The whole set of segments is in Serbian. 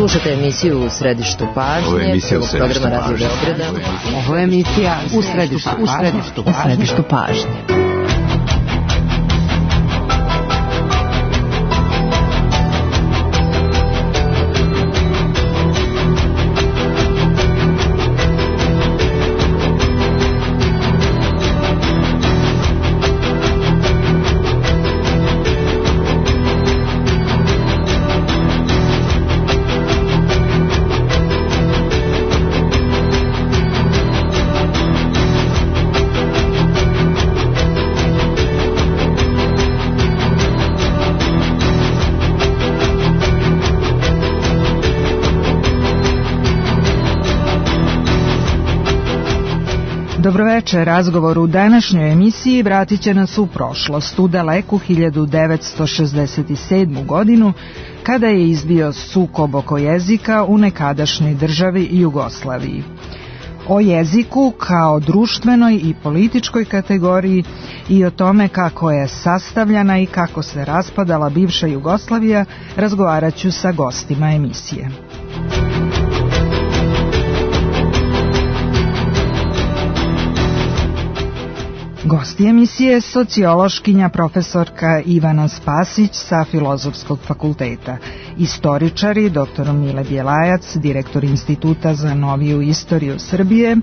Slušate emisiju U središtu pažnje, prvog programa Radio Beograda. Ovo je emisija U središtu pažnje. Dobroveče, razgovor u današnjoj emisiji vratit će nas u prošlost, u daleku 1967. godinu, kada je izbio sukob oko jezika u nekadašnjoj državi Jugoslaviji. O jeziku kao društvenoj i političkoj kategoriji i o tome kako je sastavljana i kako se raspadala bivša Jugoslavija razgovarat ću sa gostima emisije. Gosti emisije sociološkinja profesorka Ivana Spasić sa Filozofskog fakulteta, istoričari dr. Mile Bjelajac, direktor Instituta za noviju istoriju Srbije,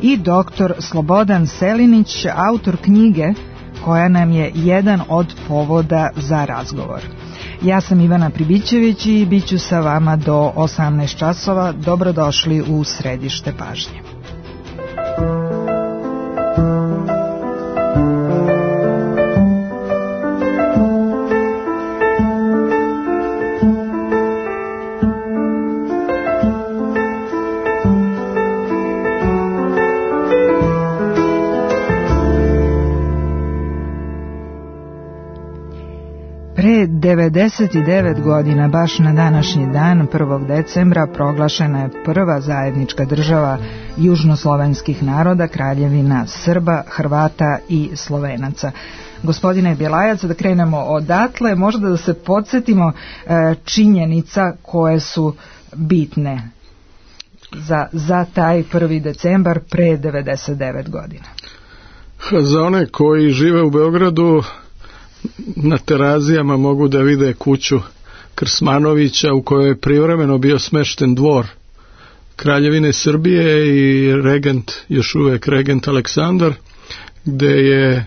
i dr. Slobodan Selinić, autor knjige koja nam je jedan od povoda za razgovor. Ja sam Ivana Pribićević i bit ću sa vama do 18 časova. Dobrodošli u središte pažnje. Pre 99 godina, baš na današnji dan, 1. decembra, proglašena je prva zajednička država južnoslovenskih naroda, Kraljevina Srba, Hrvata i Slovenaca. Gospodine Bjelajac, da krenemo odatle, možda da se podsjetimo činjenica koje su bitne za taj 1. decembar pre 99 godina. Za one koji žive u Beogradu, na Terazijama mogu da vide kuću Krsmanovića u kojoj je privremeno bio smešten dvor Kraljevine Srbije i regent, još uvijek regent Aleksandar, gde je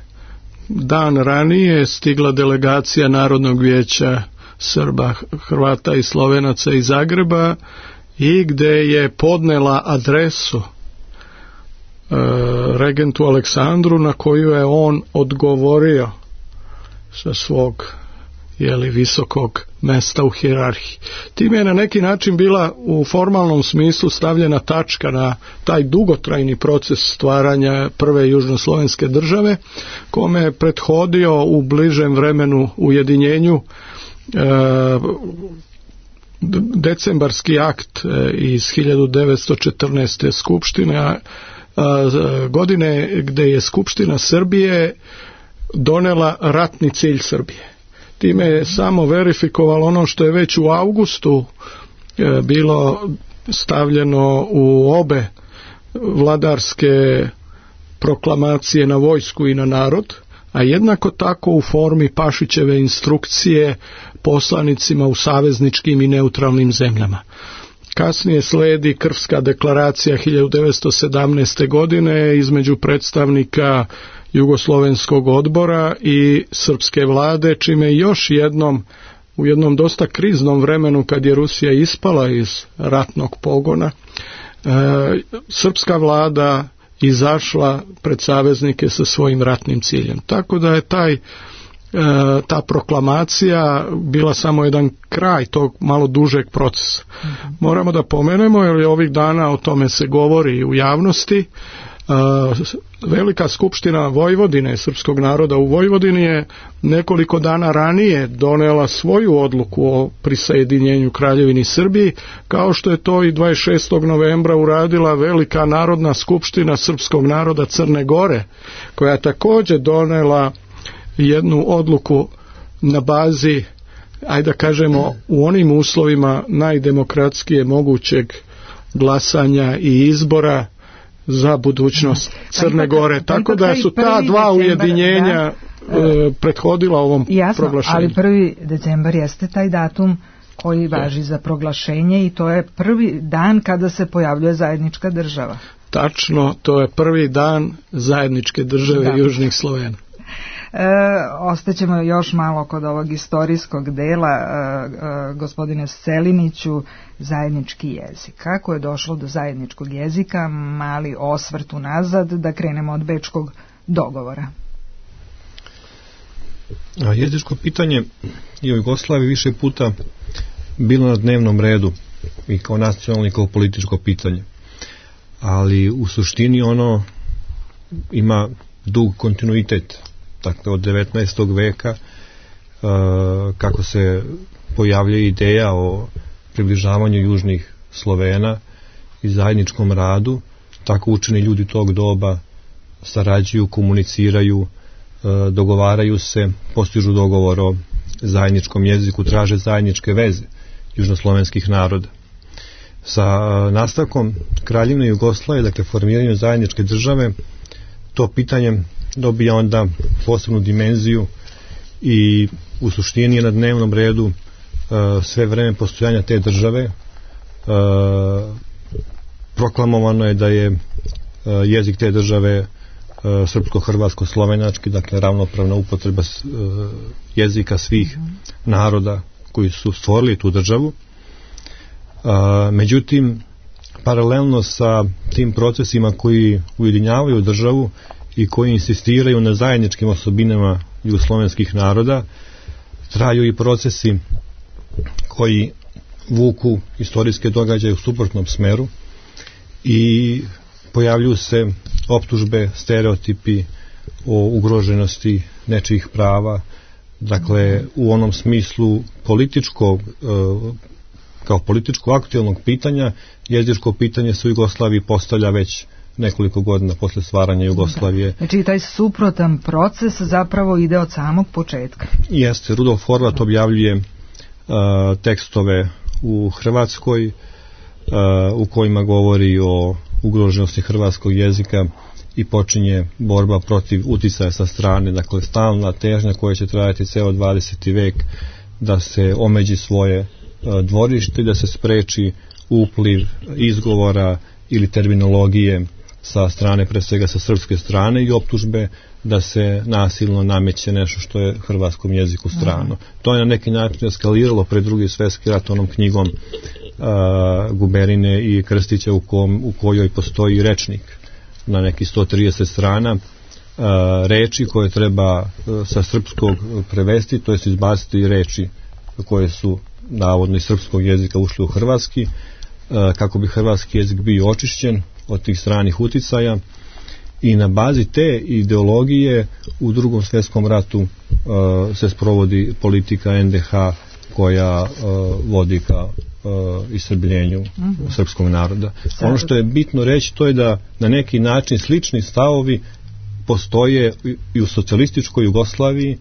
dan ranije stigla delegacija Narodnog vijeća Srba, Hrvata i Slovenaca iz Zagreba i gde je podnela adresu regentu Aleksandru, na koju je on odgovorio sa svog visokog mesta u hijerarhiji. Time je na neki način bila u formalnom smislu stavljena tačka na taj dugotrajni proces stvaranja prve južnoslovenske države, kome je prethodio u bližem vremenu ujedinjenju decembarski akt iz 1914. skupštine, godine gde je Skupština Srbije donela ratni cilj Srbije. Time je samo verifikovalo ono što je već u avgustu bilo stavljeno u obe vladarske proklamacije na vojsku i na narod, a jednako tako u formi Pašićeve instrukcije poslanicima u savezničkim i neutralnim zemljama. Kasnije sledi Krfska deklaracija 1917. godine između predstavnika Jugoslovenskog odbora i srpske vlade, čime još jednom u jednom dosta kriznom vremenu, kad je Rusija ispala iz ratnog pogona, srpska vlada izašla pred saveznike sa svojim ratnim ciljem. Tako da je ta proklamacija bila samo jedan kraj tog malo dužeg procesa. Moramo da pomenemo, jer ovih dana o tome se govori u javnosti, Velika skupština Vojvodine, srpskog naroda u Vojvodini, je nekoliko dana ranije donela svoju odluku o prisajedinjenju Kraljevini Srbiji, kao što je to i 26. novembra uradila Velika narodna skupština srpskog naroda Crne Gore, koja je također donela jednu odluku na bazi ajde da kažemo, u onim uslovima najdemokratskije mogućeg glasanja i izbora za budućnost Crne Gore. Tako da su ta dva ujedinjenja prethodila ovom proglašenju. Ali 1. decembar jeste taj datum koji važi za proglašenje i to je prvi dan kada se pojavljuje zajednička država. Tačno, to je prvi dan zajedničke države Južnih Slovena. Ostaćemo još malo kod ovog istorijskog dela, gospodine Seliniću, zajednički jezik. Kako je došlo do zajedničkog jezika? Mali osvrt unazad, da krenemo od Bečkog dogovora. Jezičko pitanje je u Jugoslaviji više puta bilo na dnevnom redu i kao nacionalno i kao političko pitanje. Ali u suštini ono ima dug kontinuitet. Dakle, od 19. veka kako se pojavlja ideja o približavanju južnih Slovena i zajedničkom radu, tako učeni ljudi tog doba sarađuju, komuniciraju, dogovaraju se, postižu dogovor o zajedničkom jeziku, traže zajedničke veze južnoslovenskih naroda. Sa nastavkom Kraljevine Jugoslavije, dakle formiranju zajedničke države, to pitanje dobija onda posebnu dimenziju i u suštini je na dnevnom redu sve vreme postojanja te države. Proklamovano je da je jezik te države srpsko-hrvatsko-slovenački, dakle ravnopravna upotreba jezika svih naroda koji su stvorili tu državu. Međutim, paralelno sa tim procesima koji ujedinjavaju državu i koji insistiraju na zajedničkim osobinama jugoslovenskih naroda, traju i procesi koji vuku istorijske događaje u suprotnom smeru i pojavljuju se optužbe, stereotipi o ugroženosti nečijih prava, dakle u onom smislu političkog, kao političko aktuelnog pitanja, jezičko pitanje se u Jugoslaviji postavlja već nekoliko godina posle stvaranja Jugoslavije. Znači taj suprotan proces zapravo ide od samog početka. Jeste, Rudolf Horvat objavljuje tekstove u Hrvatskoj u kojima govori o ugroženosti hrvatskog jezika i počinje borba protiv uticaja sa strane, dakle stalna težnja koja će trajati ceo 20. vek da se omeđi svoje dvorište, da se spreči upliv izgovora ili terminologije sa strane, pre svega sa srpske strane, i optužbe da se nasilno nameće nešto što je hrvatskom jeziku strano. To je na neki način eskaliralo pred Drugi svjetski rat onom knjigom Guberine i Krstića u kojoj postoji rečnik na neki 130 strana reči koje treba sa srpskog prevesti, to jest izbaciti reči koje su navodno iz srpskog jezika ušli u hrvatski, kako bi hrvatski jezik bio očišćen od tih stranih uticaja, i na bazi te ideologije u Drugom svjetskom ratu se sprovodi politika NDH koja vodi ka istrebljenju srpskog naroda. Ono što je bitno reći, to je da na neki način slični stavovi postoje i u socijalističkoj Jugoslaviji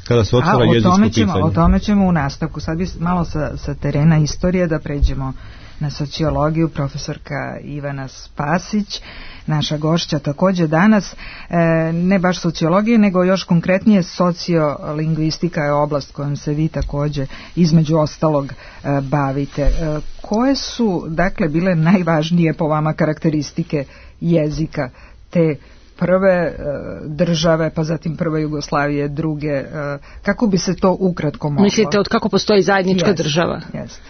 kada se otvara jezičko pitanje. O tome ćemo u nastavku. Sad bi malo sa terena istorije da pređemo na sociologiju. Profesorka Ivana Spasić, naša gošća također danas, ne baš sociologije, nego još konkretnije sociolingvistika je oblast kojom se vi također između ostalog bavite. Koje su, dakle, bile najvažnije po vama karakteristike jezika te prve države, pa zatim prve Jugoslavije, druge, kako bi se to ukratko moglo? Mislite od kako postoji zajednička država? Jeste.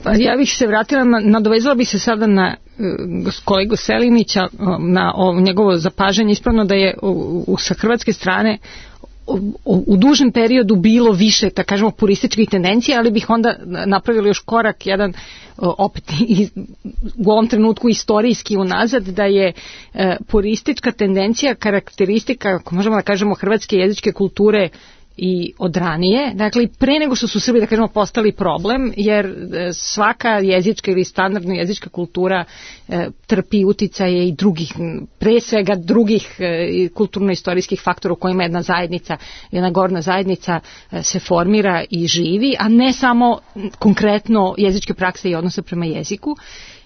Pa ja bih se vratila, nadovezala bih se sada na kolegu Selinića, na njegovo zapažanje. Ispravno da je sa hrvatske strane u dužem periodu bilo više, da kažemo, purističkih tendencija, ali bih onda napravili još korak jedan, opet u ovom trenutku istorijski unazad, da je puristička tendencija karakteristika, ako možemo da kažemo, hrvatske jezičke kulture i odranije, dakle pre nego što su Srbi, da kažemo, postali problem, jer svaka jezička ili standardna jezička kultura trpi uticaje i drugih, pre svega drugih kulturno-istorijskih faktora u kojima jedna zajednica, jedna gorna zajednica se formira i živi, a ne samo konkretno jezičke prakse i odnose prema jeziku.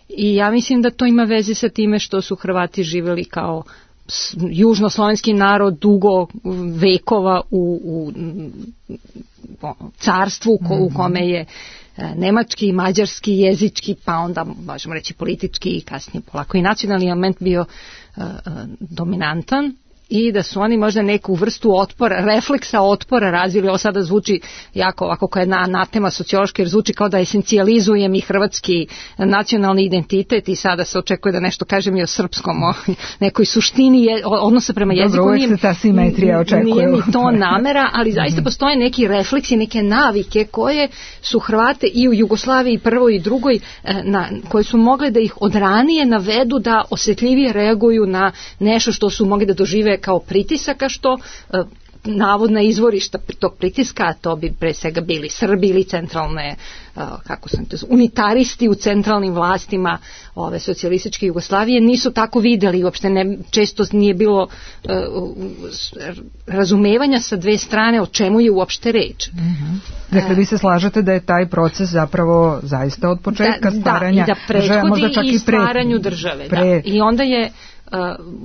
I ja mislim da to ima veze sa time što su Hrvati živeli kao južnoslovenski narod dugo vekova u carstvu u kome je nemački, mađarski, jezički, pa onda možemo reći politički i kasnije polako i nacionalni element bio dominantan. I da su oni možda neku vrstu otpora, refleksa otpora razvili. Ovo sada zvuči jako ovako kao jedna anatema sociološka, jer zvuči kao da esencijalizujem i hrvatski nacionalni identitet i sada se očekuje da nešto kažem i o srpskom, o nekoj suštini odnosa prema jeziku. Dobro, uvijek se ta simetrija očekuje. Nije mi to namera, ali zaista postoje neki refleksi, neke navike koje su Hrvate i u Jugoslaviji prvoj i drugoj, koje su mogle da ih odranije navedu da osjetljivije reaguju na nešto što su mogli da dožive kao pritisaka, što navodna izvorišta tog pritiska, a to bi pre svega bili Srbi ili centralne, unitaristi u centralnim vlastima ove socijalističke Jugoslavije, nisu tako videli, uopšte često nije bilo razumevanja sa dve strane o čemu je uopšte reč. Dakle, vi se slažete da je taj proces zapravo zaista od početka stvaranja države, možda čak i stvaranju države. I onda je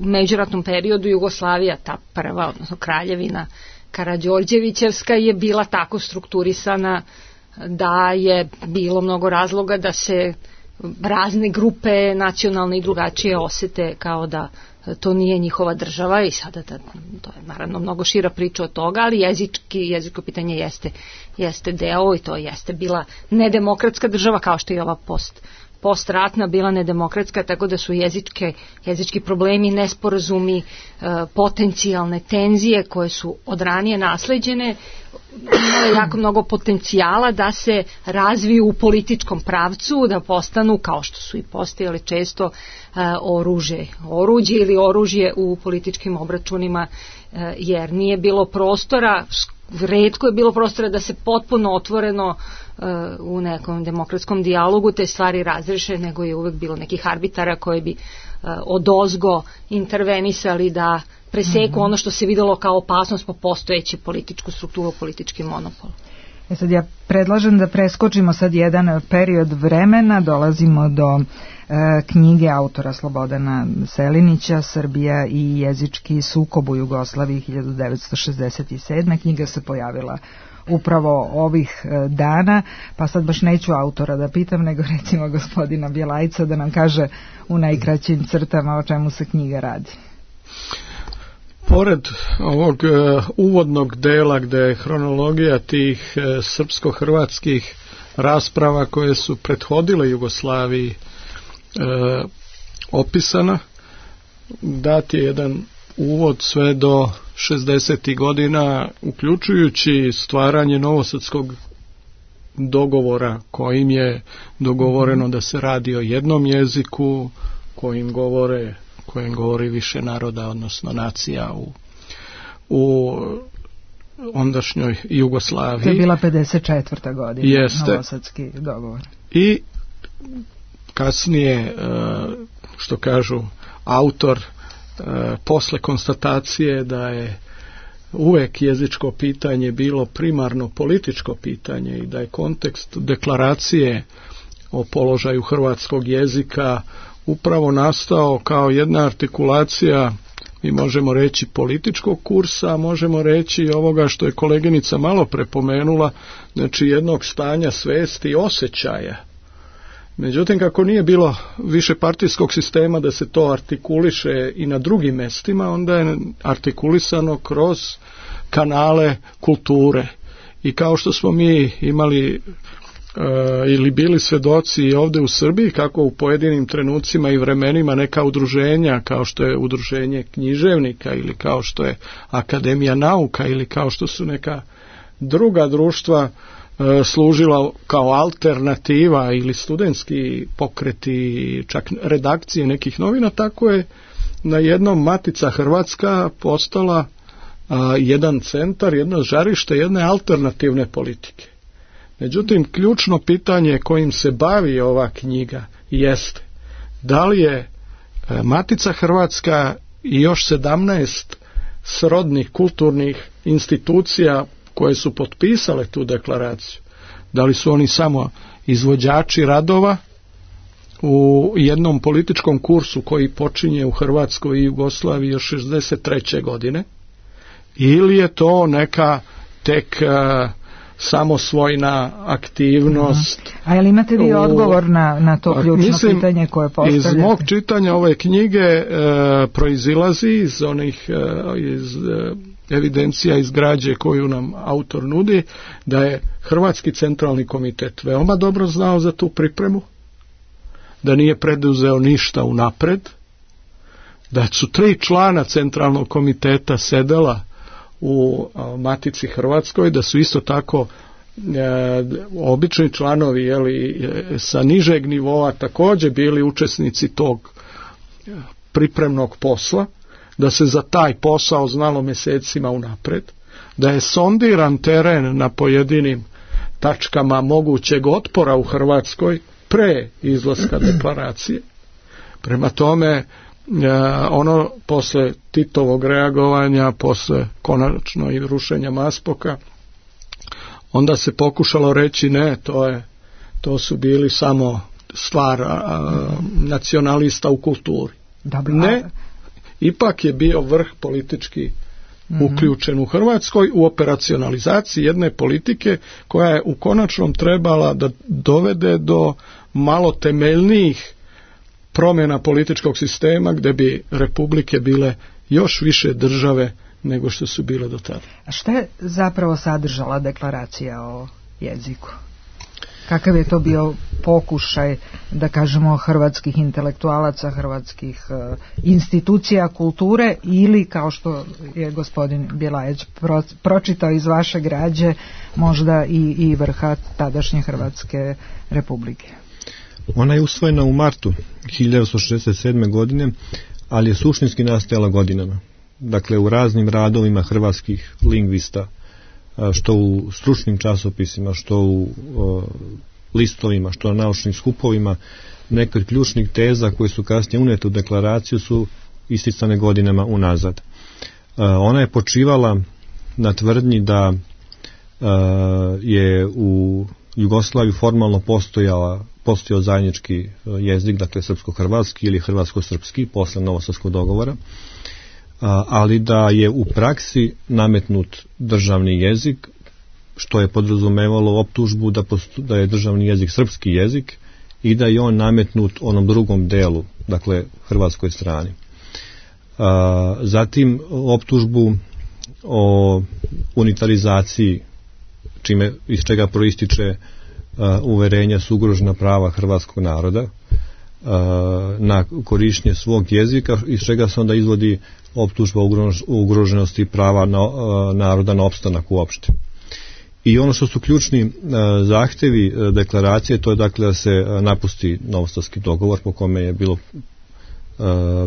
u međuratnom periodu Jugoslavija, ta prva, odnosno kraljevina Karađorđevićevska, je bila tako strukturisana da je bilo mnogo razloga da se razne grupe nacionalne i drugačije osete kao da to nije njihova država i sada to je naravno mnogo šira priča od toga, ali jezičko pitanje jeste deo i to jeste bila nedemokratska država kao što je ova postratna bila nedemokratska, tako da su jezički problemi, nesporazumi, potencijalne tenzije koje su od ranije nasleđene, imale jako mnogo potencijala da se razviju u političkom pravcu, da postanu, kao što su i postojali često, oruđe ili oružje u političkim obračunima, jer nije bilo prostora, retko je bilo prostora da se potpuno otvoreno u nekom demokratskom dijalogu te stvari razreše, nego je uvek bilo nekih arbitara koji bi odozgo intervenisali da preseku ono što se videlo kao opasnost po postojeći političku strukturu, politički monopol. Sad ja predlažem da preskočimo sad jedan period vremena, dolazimo do knjige autora Slobodana Selinića, Srbija i jezički sukob u Jugoslaviji 1967. Knjiga se pojavila upravo ovih dana, pa sad baš neću autora da pitam, nego recimo gospodina Bjelajca da nam kaže u najkraćim crtama o čemu se knjiga radi. Pored ovog uvodnog dela gde je hronologija tih srpsko-hrvatskih rasprava koje su prethodile Jugoslaviji opisana, dat je jedan uvod sve do 60. godina, uključujući stvaranje novosadskog dogovora kojim je dogovoreno da se radi o jednom jeziku kojim govori više naroda, odnosno nacija u ondašnjoj Jugoslaviji. To je bila 54. godina. Jeste. Novosadski dogovor. I kasnije, što kažu autor, posle konstatacije da je uvek jezičko pitanje bilo primarno političko pitanje i da je kontekst deklaracije o položaju hrvatskog jezika upravo nastao kao jedna artikulacija, mi možemo reći političkog kursa, a možemo reći ovoga što je koleginica malo prepomenula, znači jednog stanja svesti i osjećaja. Međutim, kako nije bilo više partijskog sistema da se to artikuliše i na drugim mestima, onda je artikulisano kroz kanale kulture. I kao što smo mi imali ili bili svedoci ovdje u Srbiji, kako u pojedinim trenucima i vremenima neka udruženja, kao što je udruženje književnika ili kao što je Akademija nauka ili kao što su neka druga društva služila kao alternativa ili studentski pokreti, čak redakcije nekih novina, tako je na jednom Matica Hrvatska postala jedan centar, jedno žarište jedne alternativne politike. Međutim, ključno pitanje kojim se bavi ova knjiga jeste da li je Matica Hrvatska i još 17 srodnih kulturnih institucija koje su potpisale tu deklaraciju, da li su oni samo izvođači radova u jednom političkom kursu koji počinje u Hrvatskoj i Jugoslaviji još 63. godine, ili je to neka tek samosvojna aktivnost. A jel imate vi odgovor na to ključno pitanje koje postavljate? Iz mog čitanja ove knjige proizilazi iz onih evidencija iz građe koju nam autor nudi, da je Hrvatski centralni komitet veoma dobro znao za tu pripremu, da nije preduzeo ništa unapred, da su 3 člana centralnog komiteta sedela u Matici Hrvatskoj, da su isto tako obični članovi sa nižeg nivoa također bili učesnici tog pripremnog posla, da se za taj posao znalo mjesecima unapred, da je sondiran teren na pojedinim tačkama mogućeg otpora u Hrvatskoj pre izlaska deklaracije. Prema tome, ono posle Titovog reagovanja, posle konačno i rušenja Maspoka, onda se pokušalo reći ne, to su bili samo stvar nacionalista u kulturi. Ne, ipak je bio vrh politički uključen u Hrvatskoj u operacionalizaciji jedne politike koja je u konačnom trebala da dovede do malo temeljnijih promjena političkog sistema gdje bi republike bile još više države nego što su bile do tada. A šta je zapravo sadržala deklaracija o jeziku? Kakav je to bio pokušaj, da kažemo, hrvatskih intelektualaca, hrvatskih institucija kulture, ili, kao što je gospodin Bjelajać pročitao iz vaše građe, možda i vrha tadašnje Hrvatske republike? Ona je usvojena u martu 1967. godine, ali je suštinski nastajala godinama. Dakle, u raznim radovima hrvatskih lingvista, što u stručnim časopisima, što u listovima, što na naučnim skupovima, neke od ključnih teza koje su kasnije unete u deklaraciju su isticane godinama unazad. Ona je počivala na tvrdnji da je u Jugoslaviji formalno postojao zajednički jezik, dakle srpsko-hrvatski ili hrvatsko-srpski posle Novosadskog dogovora, ali da je u praksi nametnut državni jezik, što je podrazumevalo optužbu da je državni jezik srpski jezik i da je on nametnut onom drugom delu, dakle hrvatskoj strani. Zatim optužbu o unitarizaciji, iz čega proističe uverenja su ugrožena prava hrvatskog naroda na korištenje svog jezika, iz čega se onda izvodi optužba o ugroženosti prava naroda na opstanak uopšte. I ono što su ključni zahtevi deklaracije, to je dakle da se napusti Novosadski dogovor po kome je bilo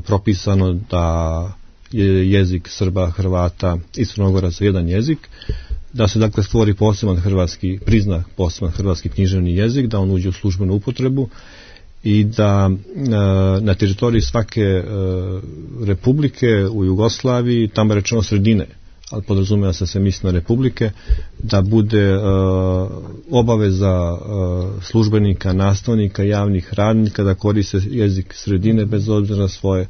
propisano da je jezik Srba, Hrvata i Crnogoraca jedan jezik, da se dakle stvori prizna poseban hrvatski književni jezik, da on uđe u službenu upotrebu i da na teritoriji svake republike u Jugoslaviji, tamo je rečeno sredine, ali podrazumijeva se misli na republike, da bude obaveza službenika, nastavnika, javnih radnika da koriste jezik sredine bez obzira na svoje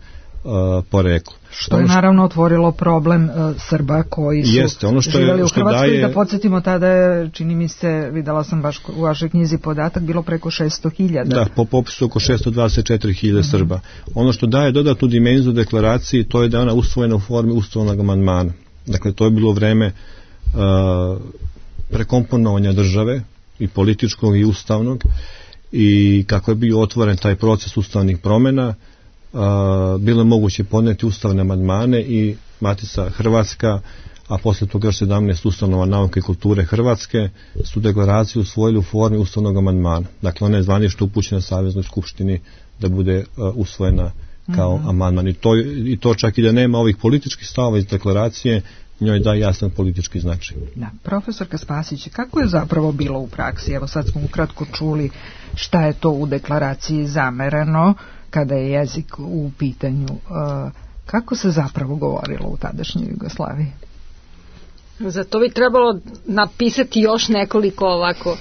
poreklo. Što je naravno otvorilo problem Srba koji su živjeli u Hrvatskoj. Da podsjetimo, tada je, čini mi se, videla sam baš u vašoj knjizi podatak, bilo preko 600.000. Da, po popisu oko 624.000 Srba. Ono što daje dodatnu dimenziju deklaraciji, to je da je ona usvojena u formi ustavnog amandmana. Dakle, to je bilo vreme prekomponovanja države, i političkog i ustavnog, i kako je bio otvoren taj proces ustavnih promjena, bilo je moguće podneti ustavne amandmane i Matica Hrvatska, a poslije toga 17 ustanova nauke i kulture Hrvatske su deklaraciju usvojili u formi ustavnog amandmana. Dakle, ona je zvanično upućena Saveznoj skupštini da bude usvojena kao amandman. I to čak i da nema ovih političkih stavova iz deklaracije, njoj da jasan politički značaj. Da, profesorka Spasić, kako je zapravo bilo u praksi? Evo sad smo ukratko čuli šta je to u deklaraciji zamereno kada je jezik u pitanju. Kako se zapravo govorilo u tadašnjoj Jugoslaviji? Za to bi trebalo napisati još nekoliko ovako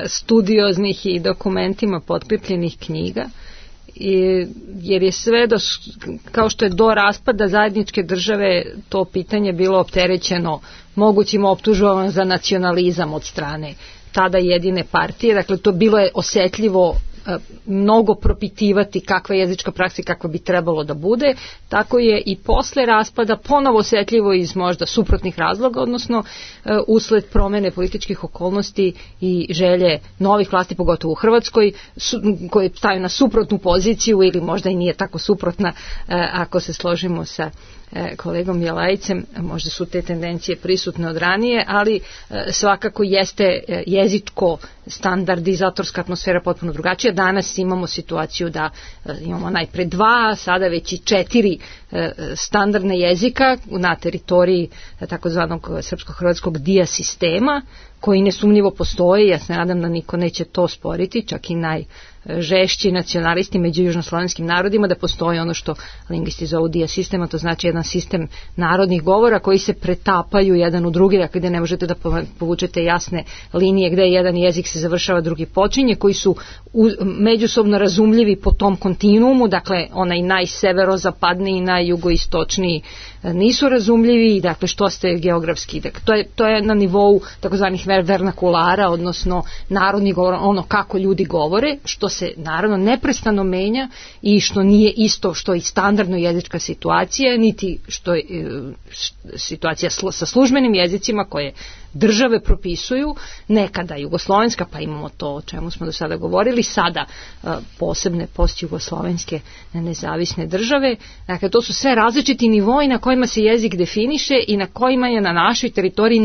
studioznih i dokumentima potkrepljenih knjiga, jer je sve kao što je do raspada zajedničke države to pitanje bilo opterećeno mogućim optužbama za nacionalizam od strane tada jedine partije, dakle to bilo je osetljivo mnogo propitivati kakva je jezička praksa i kakva bi trebalo da bude, tako je i posle raspada ponovo osetljivo iz možda suprotnih razloga, odnosno usled promene političkih okolnosti i želje novih vlasti, pogotovo u Hrvatskoj, koje staju na suprotnu poziciju ili možda i nije tako suprotna, ako se složimo sa kolegom Bjelajicem, možda su te tendencije prisutne od ranije, ali svakako jeste jezičko standardizatorska atmosfera potpuno drugačija. Danas imamo situaciju da imamo najpre 2, sada već i 4 standardne jezika na teritoriji takozvanog srpsko-hrvatskog dia sistema, koji nesumnjivo postoje. Ja se nadam da niko neće to sporiti, čak i najžešći nacionalisti među južnoslovenskim narodima, da postoji ono što lingvisti zovu dia sistema, to znači jedan sistem narodnih govora koji se pretapaju jedan u drugi, dakle gde ne možete da povučete jasne linije gde jedan jezik se završava, drugi počinje, koji su međusobno razumljivi po tom kontinuumu, dakle onaj najseverozapadniji i najjugoistočniji nisu razumljivi, dakle što ste geografski, dakle, to je na nivou takozvanih vernakulara, odnosno narodnih govora, ono kako ljudi govore, što se naravno neprestano menja i što nije isto što i standardno jezička situacija, niti što je situacija sa službenim jezicima koje države propisuju, nekada jugoslovenska, pa imamo to o čemu smo do sada govorili, sada posebne postjugoslovenske nezavisne države. Dakle, to su sve različiti nivoi na kojima se jezik definiše i na kojima je na našoj teritoriji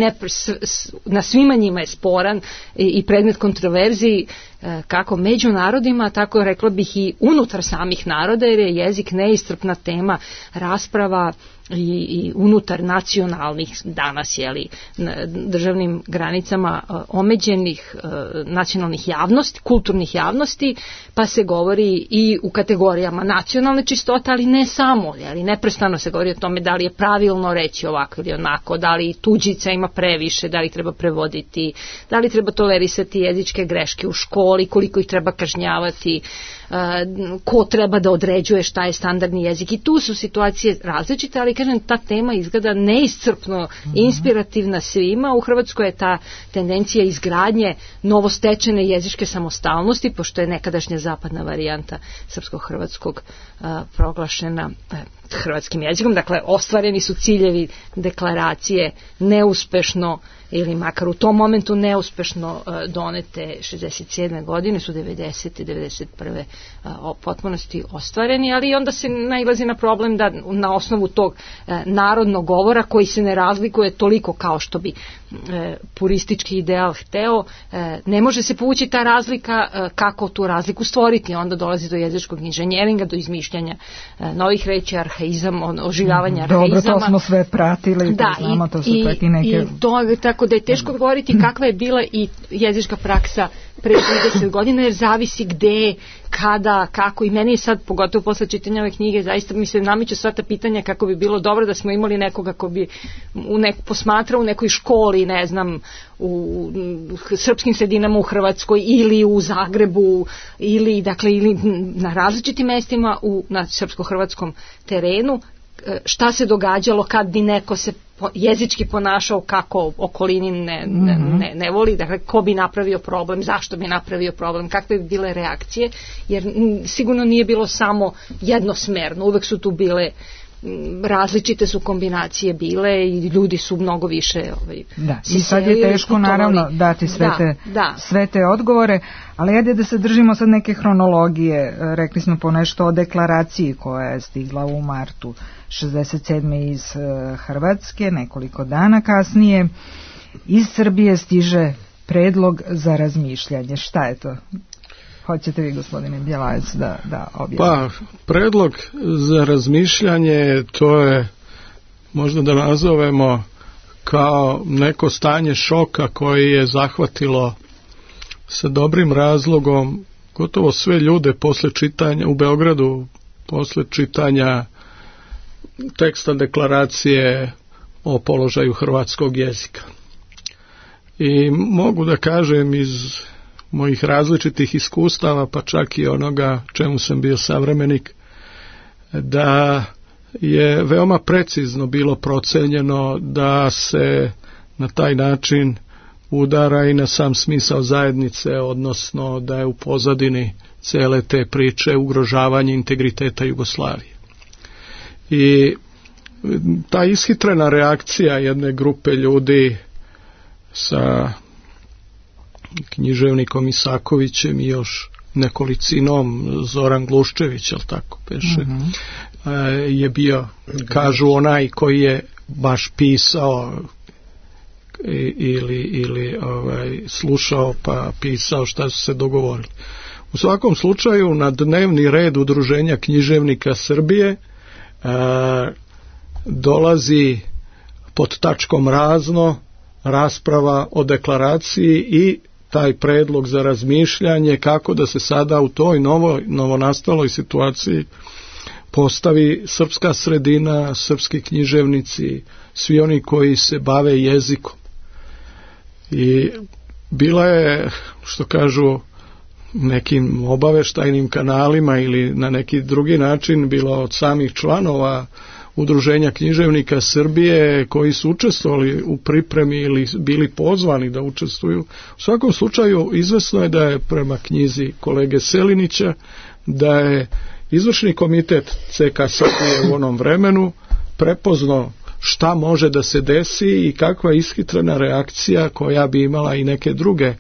na svima njima je sporan i predmet kontroverziji, kako među narodima, tako rekla bih i unutar samih naroda, jer je jezik neiscrpna tema rasprava i unutar nacionalnih danas državnim granicama omeđenih nacionalnih javnosti, kulturnih javnosti, pa se govori i u kategorijama nacionalne čistote, ali ne samo, ali neprestano se govori o tome da li je pravilno reći ovako ili onako, da li tuđica ima previše, da li treba prevoditi, da li treba tolerisati jezičke greške u školi, koliko ih treba kažnjavati, ko treba da određuje šta je standardni jezik, i tu su situacije različite, ali kažem, ta tema izgleda neiscrpno inspirativna svima. U Hrvatskoj je ta tendencija izgradnje novostečene jezičke samostalnosti, pošto je nekadašnja zapadna varijanta srpsko-hrvatskog proglašena hrvatskim jezikom, dakle ostvareni su ciljevi deklaracije neuspešno ili makar u tom momentu neuspešno donete 67. godine, su 90. i 91. potpunosti ostvareni, ali onda se nailazi na problem da na osnovu tog narodnog govora, koji se ne razlikuje toliko kao što bi puristički ideal hteo, ne može se povući ta razlika. Kako tu razliku stvoriti? Onda dolazi do jezičkog inženjeringa, do izmišljanja novih reči, arhaizam, oživljavanja arhaizama. Dobro, to smo sve pratili, da, znamo, to su čak i neke... Tako da je teško govoriti kakva je bila i jezička praksa pre 30 godina, jer zavisi gde, kada, kako, i meni je sad, pogotovo posle čitanja ove knjige, zaista mi se nameću sva ta pitanja kako bi bilo dobro da smo imali nekoga ko bi posmatrao u nekoj školi, ne znam, u srpskim sredinama u Hrvatskoj ili u Zagrebu ili na različitim mestima na srpsko-hrvatskom terenu, šta se događalo kad bi neko se jezički ponašao kako okolini ne voli, dakle ko bi napravio problem, zašto bi napravio problem, kakve bi bile reakcije, jer sigurno nije bilo samo jednosmerno, uvek su tu bile različite su kombinacije bile i ljudi su mnogo više i sad je teško naravno dati sve te odgovore, ali ajde da se držimo sad neke hronologije. Rekli smo ponešto o deklaraciji koja je stigla u martu 67. iz Hrvatske, nekoliko dana kasnije iz Srbije stiže predlog za razmišljanje. Šta je to? Hoćete vi, gospodine Bjelajac, da objasnite? Pa, predlog za razmišljanje, to je, možda da nazovemo, kao neko stanje šoka koje je zahvatilo sa dobrim razlogom gotovo sve ljude posle čitanja u Beogradu, posle čitanja teksta deklaracije o položaju hrvatskog jezika. I mogu da kažem iz mojih različitih iskustava, pa čak i onoga čemu sam bio savremenik, da je veoma precizno bilo procenjeno da se na taj način udara i na sam smisao zajednice, odnosno da je u pozadini cele te priče ugrožavanje integriteta Jugoslavije. I ta ishitrena reakcija jedne grupe ljudi sa književnikom Isakovićem i još nekolicinom, Zoran Gluščević, jel tako peše, je bio, kažu, onaj koji je baš pisao ili slušao pa pisao šta su se dogovorili. U svakom slučaju na dnevni red Udruženja književnika Srbije dolazi pod tačkom razno rasprava o deklaraciji i taj predlog za razmišljanje kako da se sada u toj novonastaloj situaciji postavi srpska sredina, srpski književnici, svi oni koji se bave jezikom. I bila je, što kažu, nekim obaveštajnim kanalima ili na neki drugi način bilo od samih članova Udruženja književnika Srbije koji su učestvovali u pripremi ili bili pozvani da učestvuju. U svakom slučaju izvesno je da je prema knjizi kolege Selinića da je izvršni komitet CK Srbije u onom vremenu prepoznao šta može da se desi i kakva ishitrena reakcija koja bi imala i neke druge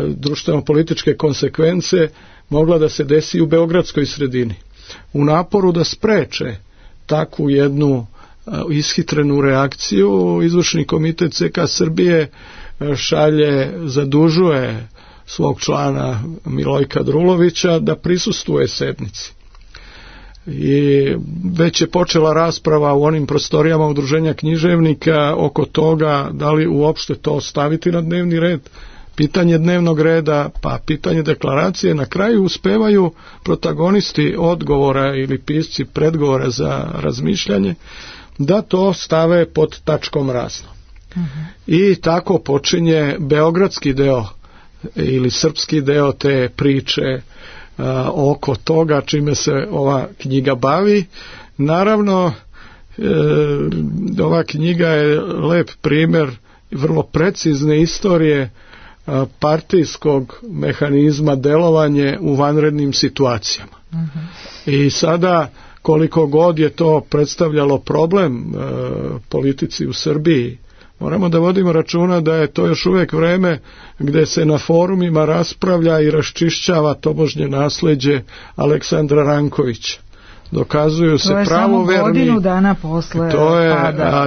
društveno-političke konsekvence mogla da se desi u beogradskoj sredini. U naporu da spreče takvu jednu ishitrenu reakciju, izvršni komitet CK Srbije zadužuje svog člana Milojka Drulovića da prisustvuje sednici. I već je počela rasprava u onim prostorijama Udruženja književnika oko toga da li uopšte to staviti na dnevni red, pitanje dnevnog reda, pa pitanje deklaracije. Na kraju uspevaju protagonisti odgovora ili pisci predgovora za razmišljanje da to stave pod tačkom razno. I tako počinje beogradski deo ili srpski deo te priče oko toga čime se ova knjiga bavi. Naravno, ova knjiga je lep primjer vrlo precizne istorije partijskog mehanizma delovanje u vanrednim situacijama. I sada koliko god je to predstavljalo problem politici u Srbiji, moramo da vodimo računa da je to još uvijek vreme gde se na forumima raspravlja i raščišćava tobožnje nasleđe Aleksandra Rankovića. Dokazuju se pravoverni. To je samo godinu dana posle to je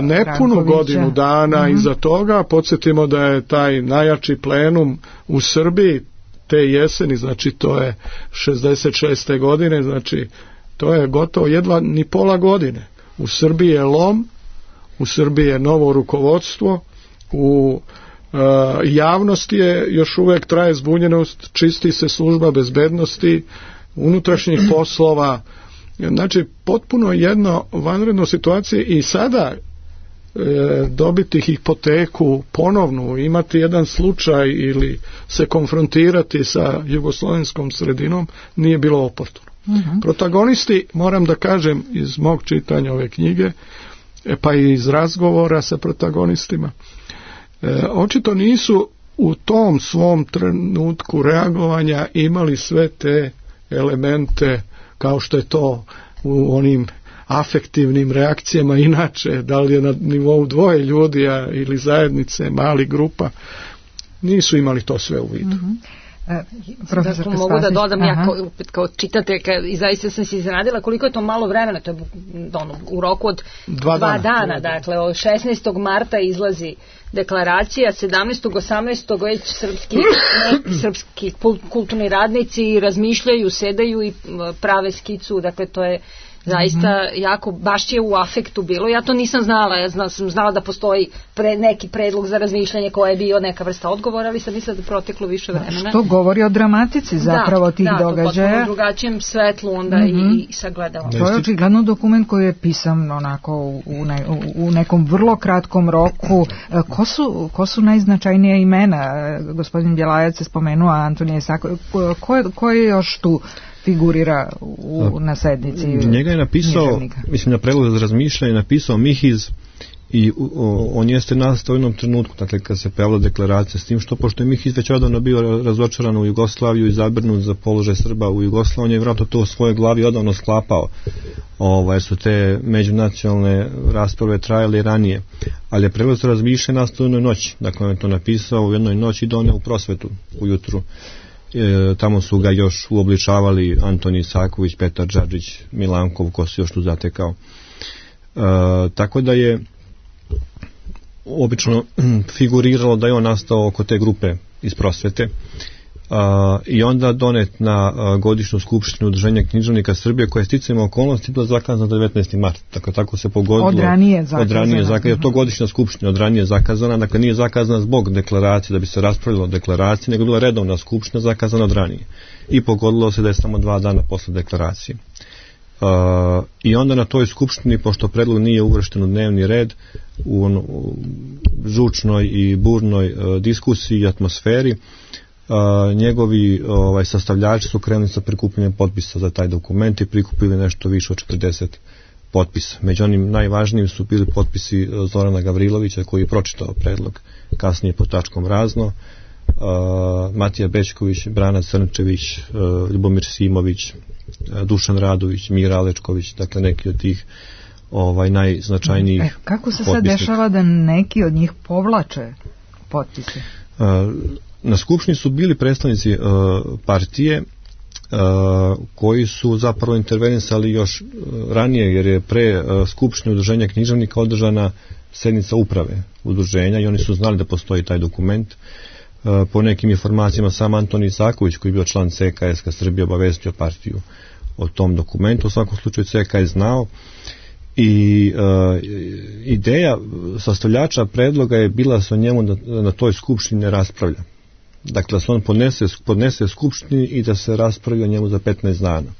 nepunu godinu dana iza toga. Podsjetimo da je taj najjači plenum u Srbiji te jeseni, znači to je 66. godine, znači to je gotovo jedva ni pola godine. U Srbiji je lom, u Srbiji je novo rukovodstvo, u javnosti je još uvijek traje zbunjenost, čisti se služba bezbednosti, unutrašnjih poslova, znači potpuno jedno vanredno situacije i sada dobiti hipoteku ponovnu, imati jedan slučaj ili se konfrontirati sa jugoslovenskom sredinom nije bilo oportuno. Protagonisti, moram da kažem iz mog čitanja ove knjige, pa i iz razgovora sa protagonistima, očito nisu u tom svom trenutku reagovanja imali sve te elemente kao što je to u onim afektivnim reakcijama inače, da li je na nivou dvoje ljudi ili zajednice, mali grupa, nisu imali to sve u vidu. Da mogu da dodam ja kao čitateljka i zaista sam se iznenadila koliko je to malo vremena, to je u roku od 2 dana, dakle od 16. marta izlazi deklaracija, 17. 18. već srpski kulturni radnici razmišljaju, sedaju i prave skicu, dakle to je zaista jako, baš je u afektu bilo. Ja to nisam znala, sam znala da postoji neki predlog za razmišljanje koji je bio neka vrsta odgovora, ali sam mislila da proteklo više vremena. Što govori o dramatici zapravo tih događaja. Da, to potpuno drugačijim svetlu onda i sagledala. To je očigledno dokument koji je pisan onako u nekom vrlo kratkom roku. Ko su najznačajnija imena? Gospodin Bjelajac je spomenuo Antonije Saković. Ko je još tu figurira na sednici? Njega je napisao, mislim na predlog za razmišljanje, napisao Mihiz i on jeste nastao u jednom trenutku, dakle kad se pojavila deklaracija, s tim što pošto je Mihiz već odavno bio razočaran u Jugoslaviju i zabrinut za položaj Srba u Jugoslaviji, on je vjerojatno to u svojoj glavi odavno sklapao, jer su te međunacionalne rasprave trajale ranije, ali je predlog za razmišljanje nastao u jednoj noći, dakle on je to napisao u jednoj noći i doneo u Prosvetu ujutru. Tamo su ga još uobličavali Antonij Saković, Petar Džadžić, Milankov, ko se još tu zatekao. Tako da je obično figuriralo da je on nastao oko te grupe iz Prosvete i onda donet na godišnju skupštinu Udruženja književnika Srbije, koja je sticajem okolnosti bila zakazana 19. mart. Dakle, tako se pogodilo. Od ranije zakazana. To godišnja skupština od ranije zakazana, dakle nije zakazana zbog deklaracije da bi se raspravljalo o deklaraciji, nego bila redovna skupština zakazana od ranije. I pogodilo se da je samo 2 dana posle deklaracije. I onda na toj skupštini, pošto predlog nije uvršten u dnevni red, u žučnoj i burnoj diskusiji i atmosferi, njegovi sastavljači su krenuli sa prikupljanjem potpisa za taj dokument i prikupili nešto više od 40 potpisa. Među onim najvažnijim su bili potpisi Zorana Gavrilovića, koji je pročitao predlog kasnije pod tačkom razno, Matija Bećković, Brana Crnčević, Ljubomir Simović, Dušan Radović, Mira Alečković, dakle neki od tih najznačajnijih kako se sad dešava da neki od njih povlače potpise? Na skupštini su bili predstavnici partije koji su zapravo intervenisali još ranije, jer je pre skupštine Udruženja književnika održana sednica uprave udruženja i oni su znali da postoji taj dokument. Po nekim informacijama sam Antonij Saković, koji je bio član CKS Srbije, obavestio partiju o tom dokumentu. U svakom slučaju CK je znao i ideja sastavljača predloga je bila sa njemu na toj skupštini ne raspravlja. Dakle, da se on podnese skupštini i da se raspravi o njemu za 15 dana.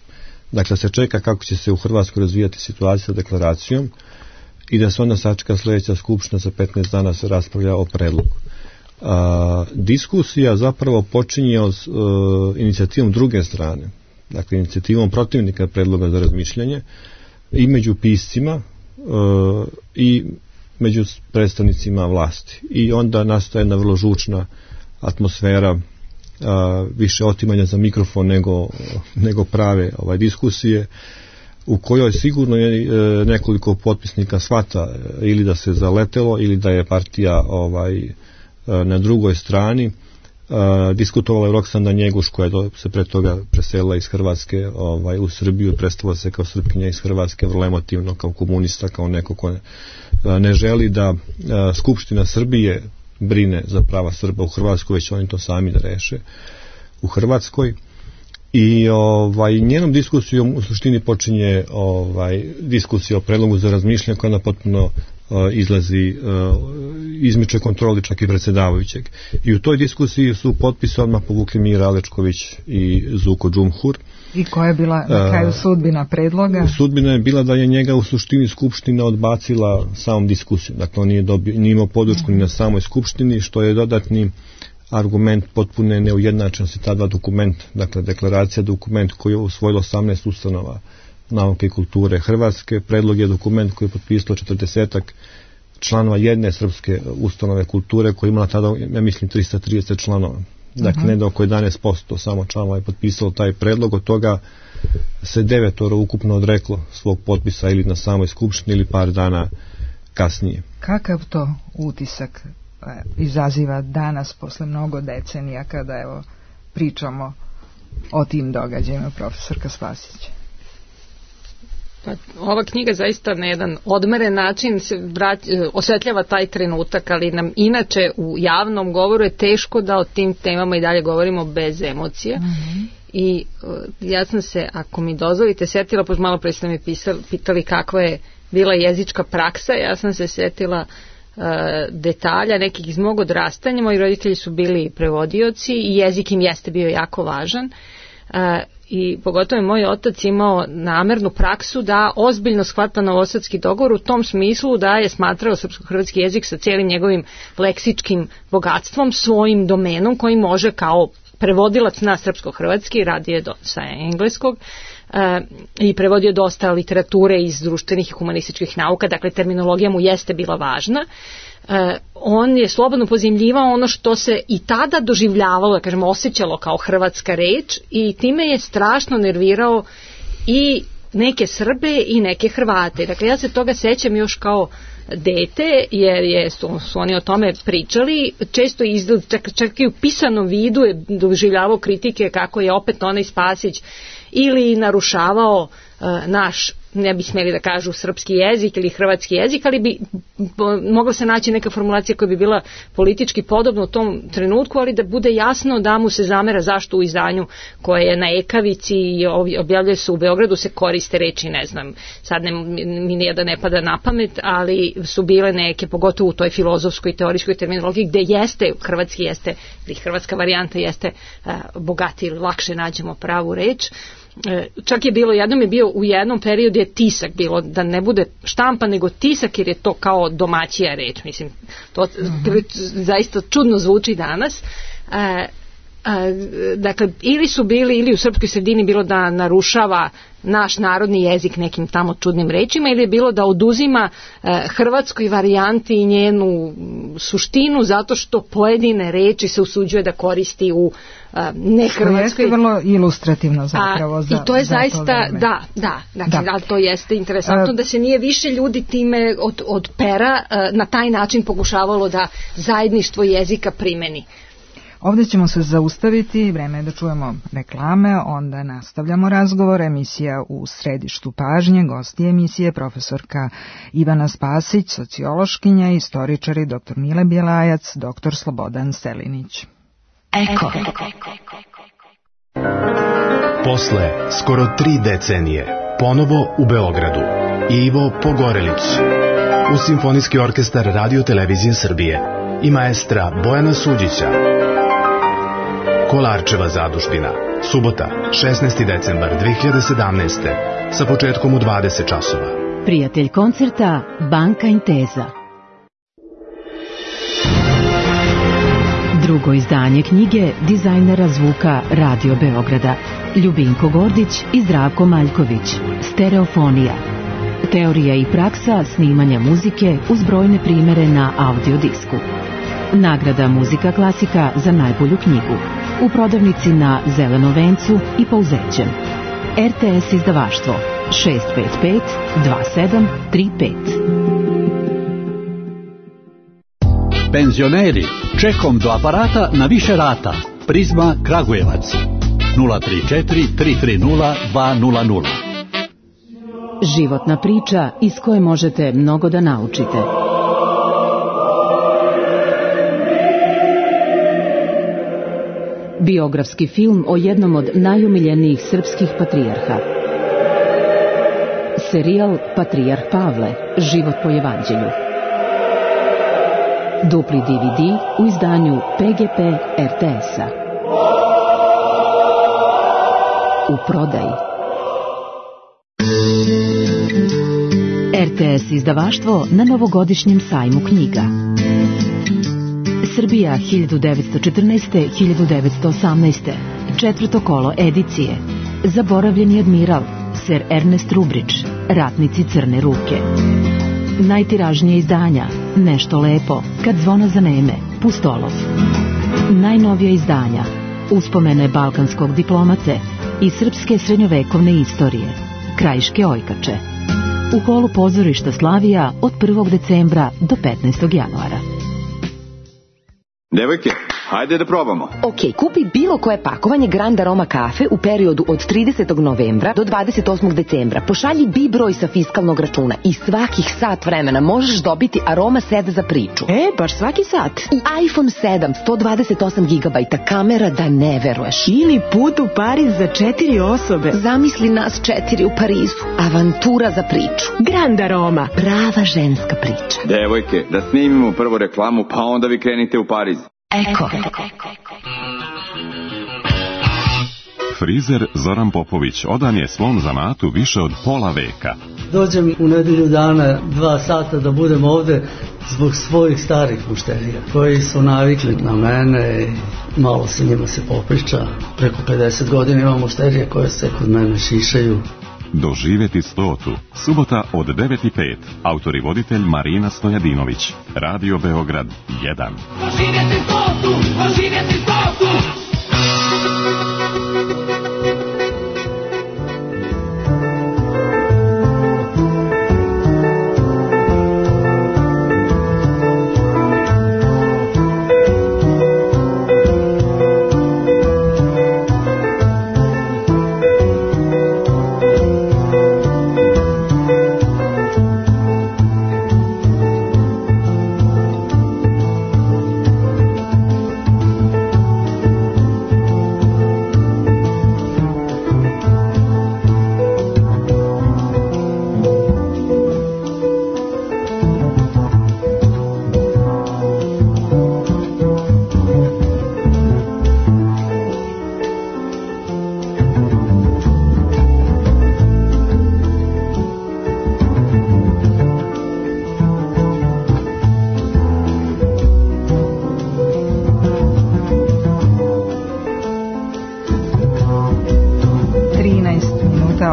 Dakle, se čeka kako će se u Hrvatskoj razvijati situacija sa deklaracijom i da se onda sačeka sljedeća skupština za 15 dana se raspravlja o predlogu. Diskusija zapravo počinje od inicijativom druge strane, dakle inicijativom protivnika predloga za razmišljanje i među piscima i među predstavnicima vlasti. I onda nastaje jedna vrlo žučna atmosfera, više otimanja za mikrofon nego prave diskusije, u kojoj sigurno je nekoliko potpisnika shvata ili da se zaletelo ili da je partija na drugoj strani. Diskutovala je Roksanda Njeguš, koja je se pre toga preselila iz Hrvatske u Srbiju, predstavila se kao Srpkinja iz Hrvatske, vrlo emotivno, kao komunista, kao neko ko ne želi da Skupština Srbije brine za prava Srba u Hrvatskoj, već oni to sami da reše u Hrvatskoj. I njenom diskusijom u suštini počinje diskusija o predlogu za razmišljanje, koja ona potpuno izlazi, izmiče kontroli čak i predsjedavajućeg. I u toj diskusiji su potpise odmah povukli Mira Alečković i Zuko Džumhur. I koja je bila na kraju sudbina predloga? Sudbina je bila da je njega u suštini skupština odbacila samom diskusijom. Dakle, on nije imao podršku ni na samoj skupštini, što je dodatni argument potpune neujednačenosti ta dva dokumenta. Dakle, deklaracija dokument koji je usvojilo 18 ustanova nauke i kulture Hrvatske. Predlog je dokument koji je potpisalo 40 članova jedne srpske ustanove kulture, koja je imala tada, ja mislim, 330 članova. Dakle, ne da oko 11% samo članova je potpisalo taj predlog, od toga se 9 ukupno odreklo svog potpisa ili na samoj skupštini ili par dana kasnije. Kakav to utisak izaziva danas posle mnogo decenija kada pričamo o tim događajima, profesorka Spasić? Pa, ova knjiga zaista na jedan odmeren način osvetljava taj trenutak, ali nam inače u javnom govoru je teško da o tim temama i dalje govorimo bez emocija. I ja sam se, ako mi dozvolite, setila, pošto malo pre ste me pitali kakva je bila jezička praksa, ja sam se setila detalja nekih iz mog odrastanja. Moji roditelji su bili prevodioci i jezik im jeste bio jako važan. I pogotovo je moj otac imao namernu praksu da ozbiljno shvata novosadski dogovor u tom smislu da je smatrao srpsko-hrvatski jezik sa cijelim njegovim leksičkim bogatstvom svojim domenom koji može kao prevodilac na srpsko-hrvatski, radio sa engleskog i prevodio dosta literature iz društvenih i humanističkih nauka, dakle terminologija mu jeste bila važna. On je slobodno pozajmljivao ono što se i tada doživljavalo, da kažemo, osjećalo kao hrvatska reč i time je strašno nervirao i neke Srbe i neke Hrvate. Dakle, ja se toga sećam još kao dete, jer su oni o tome pričali, često čak i u pisanom vidu je doživljavao kritike kako je opet onaj Spasić ili narušavao naš, ne bi smeli da kažu srpski jezik ili hrvatski jezik, ali bi mogla se naći neka formulacija koja bi bila politički podobna u tom trenutku, ali da bude jasno da mu se zamera zašto u izdanju koje je na Ekavici i objavljuje se u Beogradu se koriste reči, ne znam, sad mi nijedan ne pada na pamet, ali su bile neke, pogotovo u toj filozofskoj i teorijskoj terminologiji, gde jeste, hrvatski jeste, ili hrvatska varijanta jeste bogatiji ili lakše nađemo pravu reč. Čak je bilo, jednom je bio u jednom periodu je tisak bilo, da ne bude štampa nego tisak, jer je to kao domaćija reč, mislim, to zaista čudno zvuči danas. Dakle, ili su bili, ili u srpskoj sredini bilo da narušava naš narodni jezik nekim tamo čudnim rečima, ili je bilo da oduzima hrvatskoj varijanti i njenu suštinu zato što pojedine reči se usuđuje da koristi u nehrvatskoj. To jeste vrlo ilustrativno zapravo. I to je zaista, da, to jeste interesantno da se nije više ljudi time od pera na taj način pokušavalo da zajedništvo jezika primeni. Ovdje ćemo se zaustaviti, vreme je da čujemo reklame, onda nastavljamo razgovor. Emisija U središtu pažnje, gosti emisije profesorka Ivana Spasić, sociološkinja, istoričari dr. Mile Bjelajac, dr. Slobodan Selinić. Eko. Posle skoro 3 decenije, ponovo u Beogradu, Ivo Pogorelić, uz Simfonijski orkestar Radio Televizije Srbije i maestra Bojana Suđića. Kolarčeva zadužbina, subota, 16. decembar 2017. sa početkom u 20 časova. Prijatelj koncerta Banka Intesa. Drugo izdanje knjige dizajnera zvuka Radio Beograda Ljubinko Gordić i Zdravko Maljković. Stereofonija. Teorija i praksa snimanja muzike uz brojne primere na audiodisku. Nagrada Muzika klasika za najbolju knjigu. U prodavnici na Zelenom vencu i Pouzećem. RTS izdavaštvo 655 2735. Penzioneri, čekom do aparata na više rata. Prizma Kragujevac 034 330 200. Životna priča iz koje možete mnogo da naučite. Biografski film o jednom od najumiljenijih srpskih patrijarha. Serijal Patrijarh Pavle, život po evanđelju. Dupli DVD u izdanju PGP RTS-a. U prodaji. RTS izdavaštvo na novogodišnjem sajmu knjiga. Srbija 1914-1918. Četvrto kolo edicije. Zaboravljeni admiral, Sir Ernest Rubridge, Ratnici crne ruke. Najtiražnije izdanja, Nešto lepo, Kad zvona zaneme, Pustolov. Najnovija izdanja, Uspomene balkanskog diplomate i srpske srednjovekovne istorije, Krajiške ojkače. U holu pozorišta Slavija od 1. decembra do 15. januara. Devojke, Ajde da probamo. Ok, kupi bilo koje pakovanje Grand Aroma kafe u periodu od 30. novembra do 28. decembra. Pošalji B broj sa fiskalnog računa i svakih sat vremena možeš dobiti Aroma set za priču. Baš svaki sat. I iPhone 7, 128 GB, kamera da ne veruješ. Ili put u Pariz za 4 osobe. Zamisli nas 4 u Parizu. Avantura za priču. Grand Aroma. Prava ženska priča. Devojke, da snimimo prvo reklamu, pa onda vi krenite u Pariz. Eko. Frizer Zoran Popović odan je svom zanatu više od pola veka. Dođem u nedelju dana 2 sata da budem ovde zbog svojih starih mušterija koji su navikli na mene i malo se njima se popriča. Preko 50 godina imam mušterije koje se kod mene šišaju. Doživjeti 100. Subota od 9:05. Autor i voditelj Marina Stojadinović. Radio Beograd 1. Doživjeti 100. Doživjeti 100.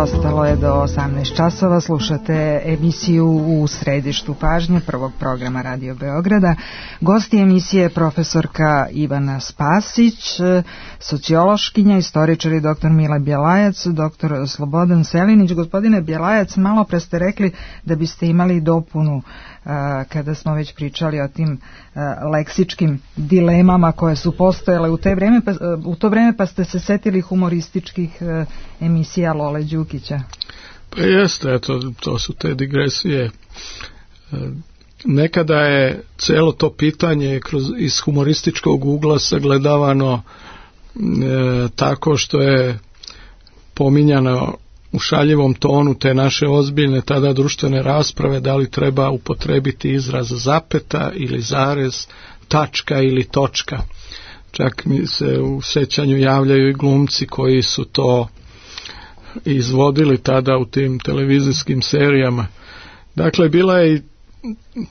Ostalo je do 18 časova, slušate emisiju U središtu pažnje prvog programa Radio Beograda. Gosti emisije je profesorka Ivana Spasić, sociološkinja, istoričar i doktor Mile Bjelajac, doktor Slobodan Selinić. Gospodine Bjelajac, malo pre ste rekli da biste imali dopunu kada smo već pričali o tim leksičkim dilemama koje su postojale u to vreme, pa ste se setili humorističkih emisija Lole Đukića. Pa jeste, eto, to su te digresije. Nekada je celo to pitanje iz humorističkog ugla sagledavano tako što je pominjano u šaljivom tonu te naše ozbiljne tada društvene rasprave, da li treba upotrebiti izraz zapeta ili zarez, tačka ili točka. Čak mi se u sećanju javljaju i glumci koji su to izvodili tada u tim televizijskim serijama. Dakle, bila je i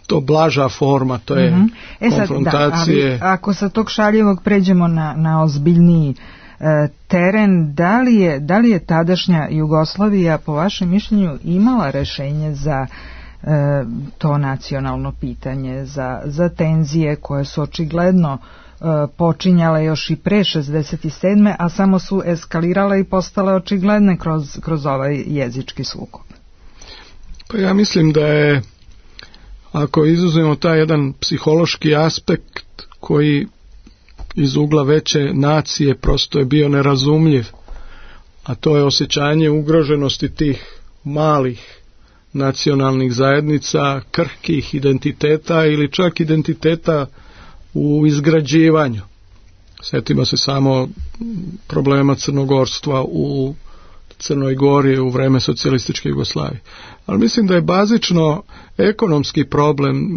to blaža forma, to je konfrontacije. Sad, ako sa tog šaljivog pređemo na ozbiljniji teren, da li je tadašnja Jugoslavija po vašem mišljenju imala rešenje za to nacionalno pitanje, za tenzije koje su očigledno počinjale još i pre 67. a samo su eskalirale i postale očigledne kroz ovaj jezički sukob? Pa ja mislim da je, ako izuzmemo taj jedan psihološki aspekt koji iz ugla veće nacije prosto je bio nerazumljiv, a to je osjećanje ugroženosti tih malih nacionalnih zajednica, krhkih identiteta ili čak identiteta u izgrađivanju. Sjetimo se samo problema crnogorstva u Crnoj Gori u vreme socijalističke Jugoslavije. Ali mislim da je bazično ekonomski problem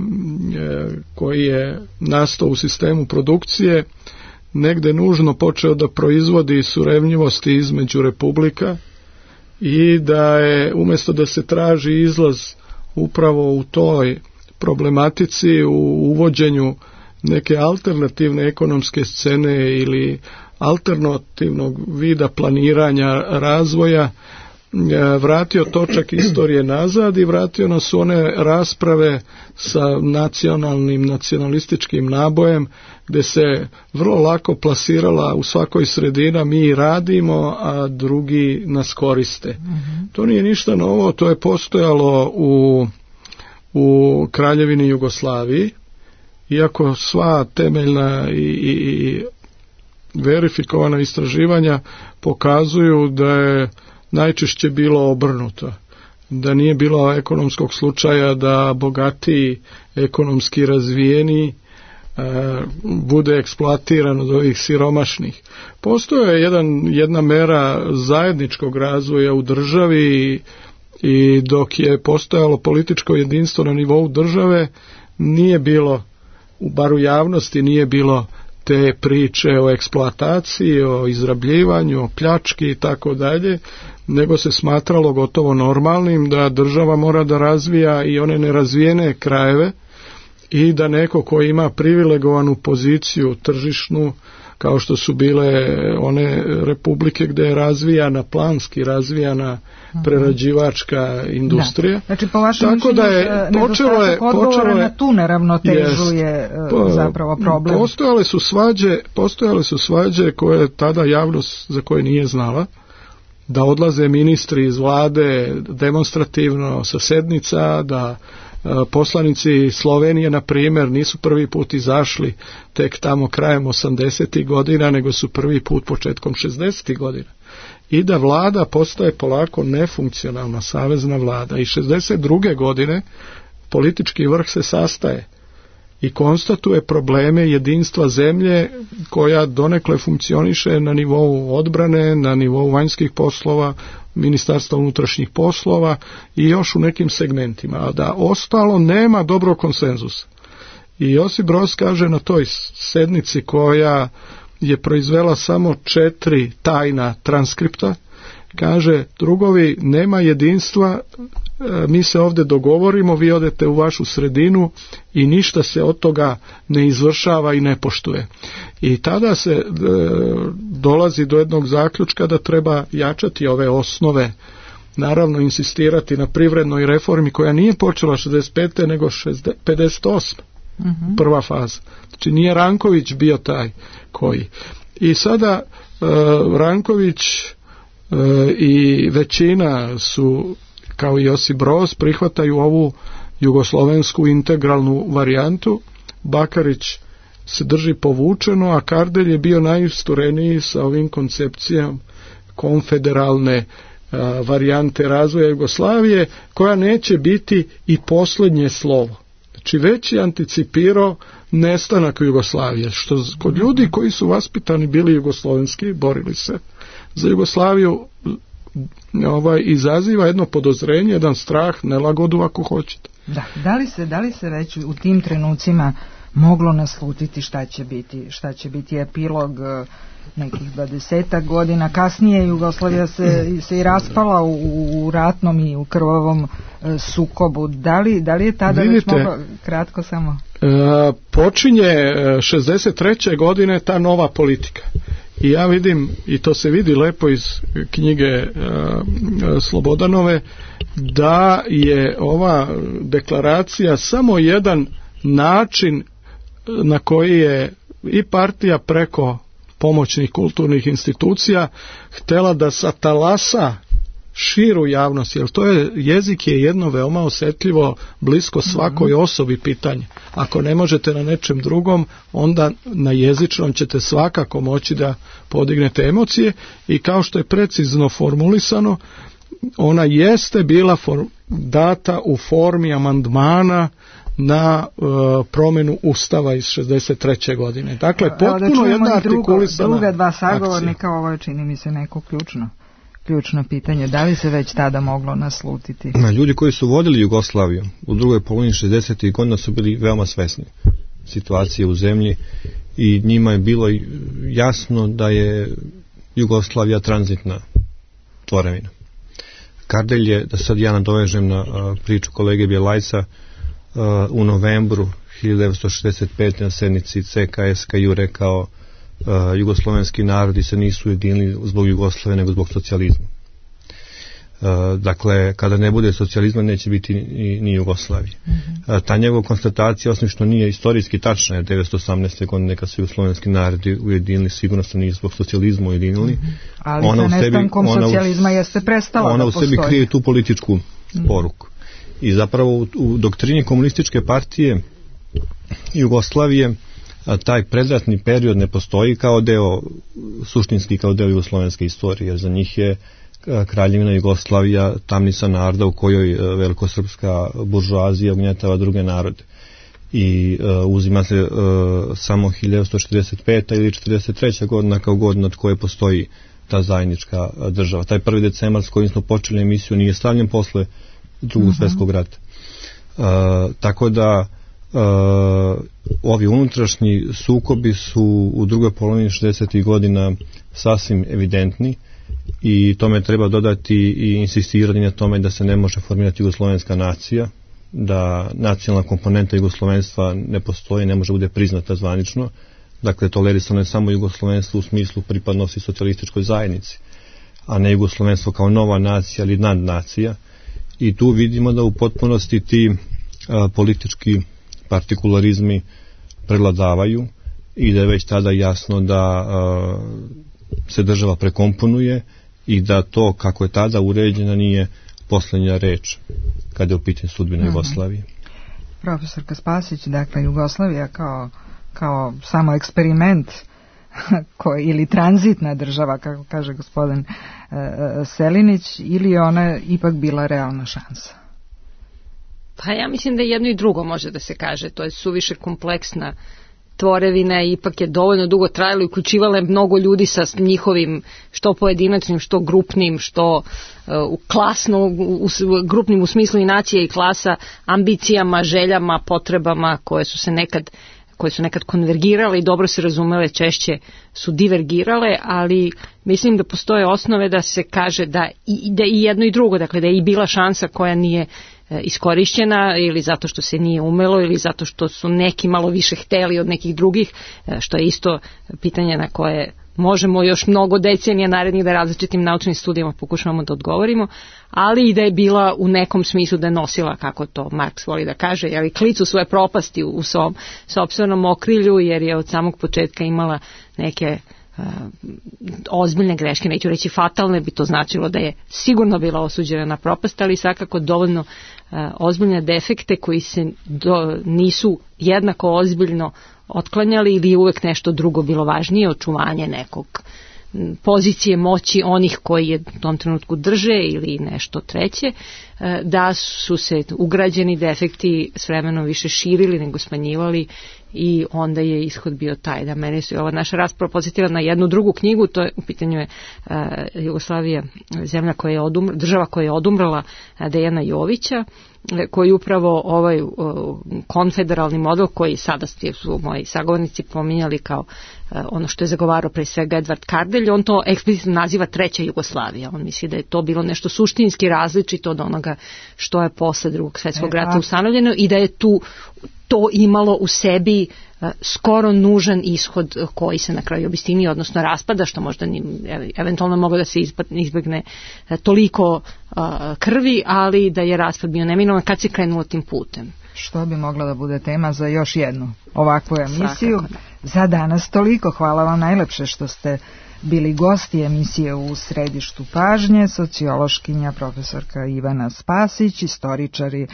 koji je nastao u sistemu produkcije negde nužno počeo da proizvodi surevnjivosti između republika i da je umjesto da se traži izlaz upravo u toj problematici, u uvođenju neke alternativne ekonomske scene ili alternativnog vida planiranja razvoja, vratio točak istorije nazad i vratio nas u one rasprave sa nacionalističkim nabojem gdje se vrlo lako plasirala u svakoj sredina mi radimo, a drugi nas koriste. To nije ništa novo, to je postojalo u Kraljevini Jugoslaviji iako sva temeljna i verifikovana istraživanja pokazuju da je najčešće bilo obrnuto, da nije bilo ekonomskog slučaja da bogatiji, ekonomski razvijeni bude eksploatiran od ovih siromašnih. Postoje jedna mera zajedničkog razvoja u državi i dok je postojalo političko jedinstvo na nivou države, nije bilo, bar u javnosti nije bilo te priče o eksploataciji, o izrabljivanju, o pljački i tako dalje, nego se smatralo gotovo normalnim da država mora da razvija i one nerazvijene krajeve i da neko ko ima privilegovanu poziciju tržišnu, kao što su bile one republike gde je razvijana, planski razvijana prerađivačka industrija. Da. Znači, po vašem mišljenju, nedostatak odgovora na tu neravnotežu je zapravo problem. Postojale su svađe koje tada javnost za koje nije znala, da odlaze ministri iz vlade demonstrativno sa sednica, da poslanici Slovenije, na primjer, nisu prvi put izašli tek tamo krajem 80. godina, nego su prvi put početkom 60. godina. I da vlada postaje polako nefunkcionalna savezna vlada. I 62. godine politički vrh se sastaje i konstatuje probleme jedinstva zemlje koja donekle funkcioniše na nivou odbrane, na nivou vanjskih poslova, Ministarstva unutrašnjih poslova i još u nekim segmentima, a da ostalo nema dobrog konsenzusa. I Josip Broz kaže na toj sednici koja je proizvela samo 4 tajna transkripta, kaže: drugovi, nema jedinstva, mi se ovdje dogovorimo, vi odete u vašu sredinu i ništa se od toga ne izvršava i ne poštuje. I tada se dolazi do jednog zaključka da treba jačati ove osnove, naravno insistirati na privrednoj reformi koja nije počela 65. nego 58. Prva faza. Znači nije Ranković bio taj koji. I sada Ranković i većina su, kao i Josip Broz, prihvataju ovu jugoslovensku integralnu varijantu. Bakarić se drži povučeno, a Kardelj je bio najistureniji sa ovim koncepcijom konfederalne varijante razvoja Jugoslavije, koja neće biti i posljednje slovo. Znači već je anticipirao nestanak Jugoslavije, što kod ljudi koji su vaspitani bili jugoslovenski, borili se za Jugoslaviju, izaziva jedno podozrenje, jedan strah, nelagodu ako hoćete. Da, da li se već u tim trenucima moglo naslutiti šta će biti epilog nekih 20 godina kasnije? Jugoslavija se i raspala u ratnom i u krvavom sukobu. Da li je tada već moglo, kratko samo? Počinje 63. godine ta nova politika. I ja vidim, i to se vidi lepo iz knjige Slobodanove, da je ova deklaracija samo jedan način na koji je i partija preko pomoćnih kulturnih institucija htjela da satalasa širu javnost, jer jezik je jedno veoma osjetljivo, blisko svakoj osobi pitanje. Ako ne možete na nečem drugom, onda na jezičnom ćete svakako moći da podignete emocije, i kao što je precizno formulisano, ona jeste bila data u formi amandmana na promjenu Ustava iz 63. godine. Dakle, potpuno jedna artikulisana druga dva sagovornika, ovo je, čini mi se, neko ključno pitanje. Da li se već tada moglo naslutiti? Ljudi koji su vodili Jugoslaviju u drugoj polovini 60. godina su bili veoma svesni situacije u zemlji i njima je bilo jasno da je Jugoslavija tranzitna tvorevina. Kardelj je, da sad ja nadovežem na priču kolege Bjelajca, u novembru 1965. na sednici CKSKJ rekao: jugoslovenski narodi se nisu ujedinili zbog Jugoslave nego zbog socijalizma. Dakle, kada ne bude socijalizma neće biti ni Jugoslavije. Ta njegova konstatacija, osim što nije istorijski tačna, je 1918. godine kad su jugoslovenski narodi ujedinili, sigurno se nije zbog socijalizma ujedinili. Ali sa nestankom socijalizma jeste prestala ona da postoji. Ona u sebi krije tu političku poruku. I zapravo u doktrini komunističke partije Jugoslavije taj predratni period ne postoji kao deo, suštinski kao deo jugoslovenske istorije, jer za njih je Kraljevina Jugoslavija tamnica naroda u kojoj velikosrpska buržoazija ugnjetava druge narode. I uzima se samo 1945. ili 1943. godina kao godina od koje postoji ta zajednička država. Taj 1. decembar s kojim smo počeli emisiju nije stavljen posle Drugog svjetskog rata. Tako da ovi unutrašnji sukobi su u drugoj polovini 60. godina sasvim evidentni i tome treba dodati i insistirati na tome da se ne može formirati jugoslovenska nacija, da nacionalna komponenta jugoslovenstva ne postoji, ne može bude priznata zvanično. Dakle, tolerisano je samo jugoslovenstvo u smislu pripadnosti socijalističkoj zajednici, a ne jugoslovenstvo kao nova nacija ili nadnacija. I tu vidimo da u potpunosti ti politički partikularizmi prevladavaju i da je već tada jasno da se država prekomponuje i da to kako je tada uređena nije posljednja reč kada je u pitanju sudbina Jugoslavije. Profesorka Spasić, dakle Jugoslavija kao samo eksperiment ili tranzitna država, kako kaže gospodin Selinić, ili ona ipak bila realna šansa? Pa ja mislim da jedno i drugo može da se kaže. To je suviše kompleksna tvorevina i ipak je dovoljno dugo trajalo i uključivala je mnogo ljudi sa njihovim što pojedinačnim, što grupnim, što klasno, grupnim u smislu i nacije i klasa, ambicijama, željama, potrebama koje su nekad konvergirale i dobro se razumele, češće su divergirale, ali mislim da postoje osnove da se kaže da i jedno i drugo, dakle da je i bila šansa koja nije iskorišćena ili zato što se nije umelo ili zato što su neki malo više hteli od nekih drugih, što je isto pitanje na koje možemo još mnogo decenija narednih da različitim naučnim studijama pokušavamo da odgovorimo, ali i da je bila u nekom smislu da je nosila, kako to Marks voli da kaže, klicu svoje propasti u svom sopstvenom okrilju, jer je od samog početka imala neke ozbiljne greške, neću reći fatalne, bi to značilo da je sigurno bila osuđena na propast, ali svakako dovoljno ozbiljne defekte koji se nisu jednako ozbiljno otklanjali ili je uvek nešto drugo bilo važnije, očuvanje nekog pozicije moći onih koji je u tom trenutku drže ili nešto treće, da su se ugrađeni defekti s vremenom više širili nego smanjivali i onda je ishod bio taj. Da mene se ova naša rasprava podsjetila na jednu drugu knjigu, to je u pitanju je Jugoslavija, zemlja koja je država koja je odumrla, Dejana Jovića, koji upravo ovaj konfederalni model koji sada su moji sagovornici pominjali kao ono što je zagovarao pre svega Edvard Kardelj, on to eksplicitno naziva treća Jugoslavija. On misli da je to bilo nešto suštinski različito od onoga što je posle Drugog svjetskog rata ustanovljeno i da je tu to imalo u sebi skoro nužan ishod koji se na kraju obistinio, odnosno raspada, što možda eventualno moglo da se izbegne toliko krvi, ali da je raspad bio neminovan kad se krenulo tim putem. Što bi mogla da bude tema za još jednu ovakvu emisiju. Za danas toliko. Hvala vam najlepše što ste bili gosti emisije U središtu pažnje, sociološkinja profesorka Ivana Spasić, istoričari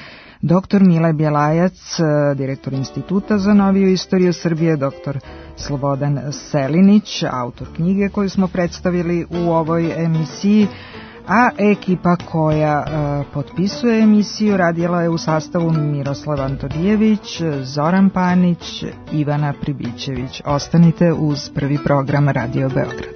dr. Mile Bjelajac, direktor Instituta za noviju istoriju Srbije, dr. Slobodan Selinić, autor knjige koju smo predstavili u ovoj emisiji, a ekipa koja potpisuje emisiju radila je u sastavu Miroslav Antonijević, Zoran Panić, Ivana Pribićević. Ostanite uz prvi program Radio Beograd.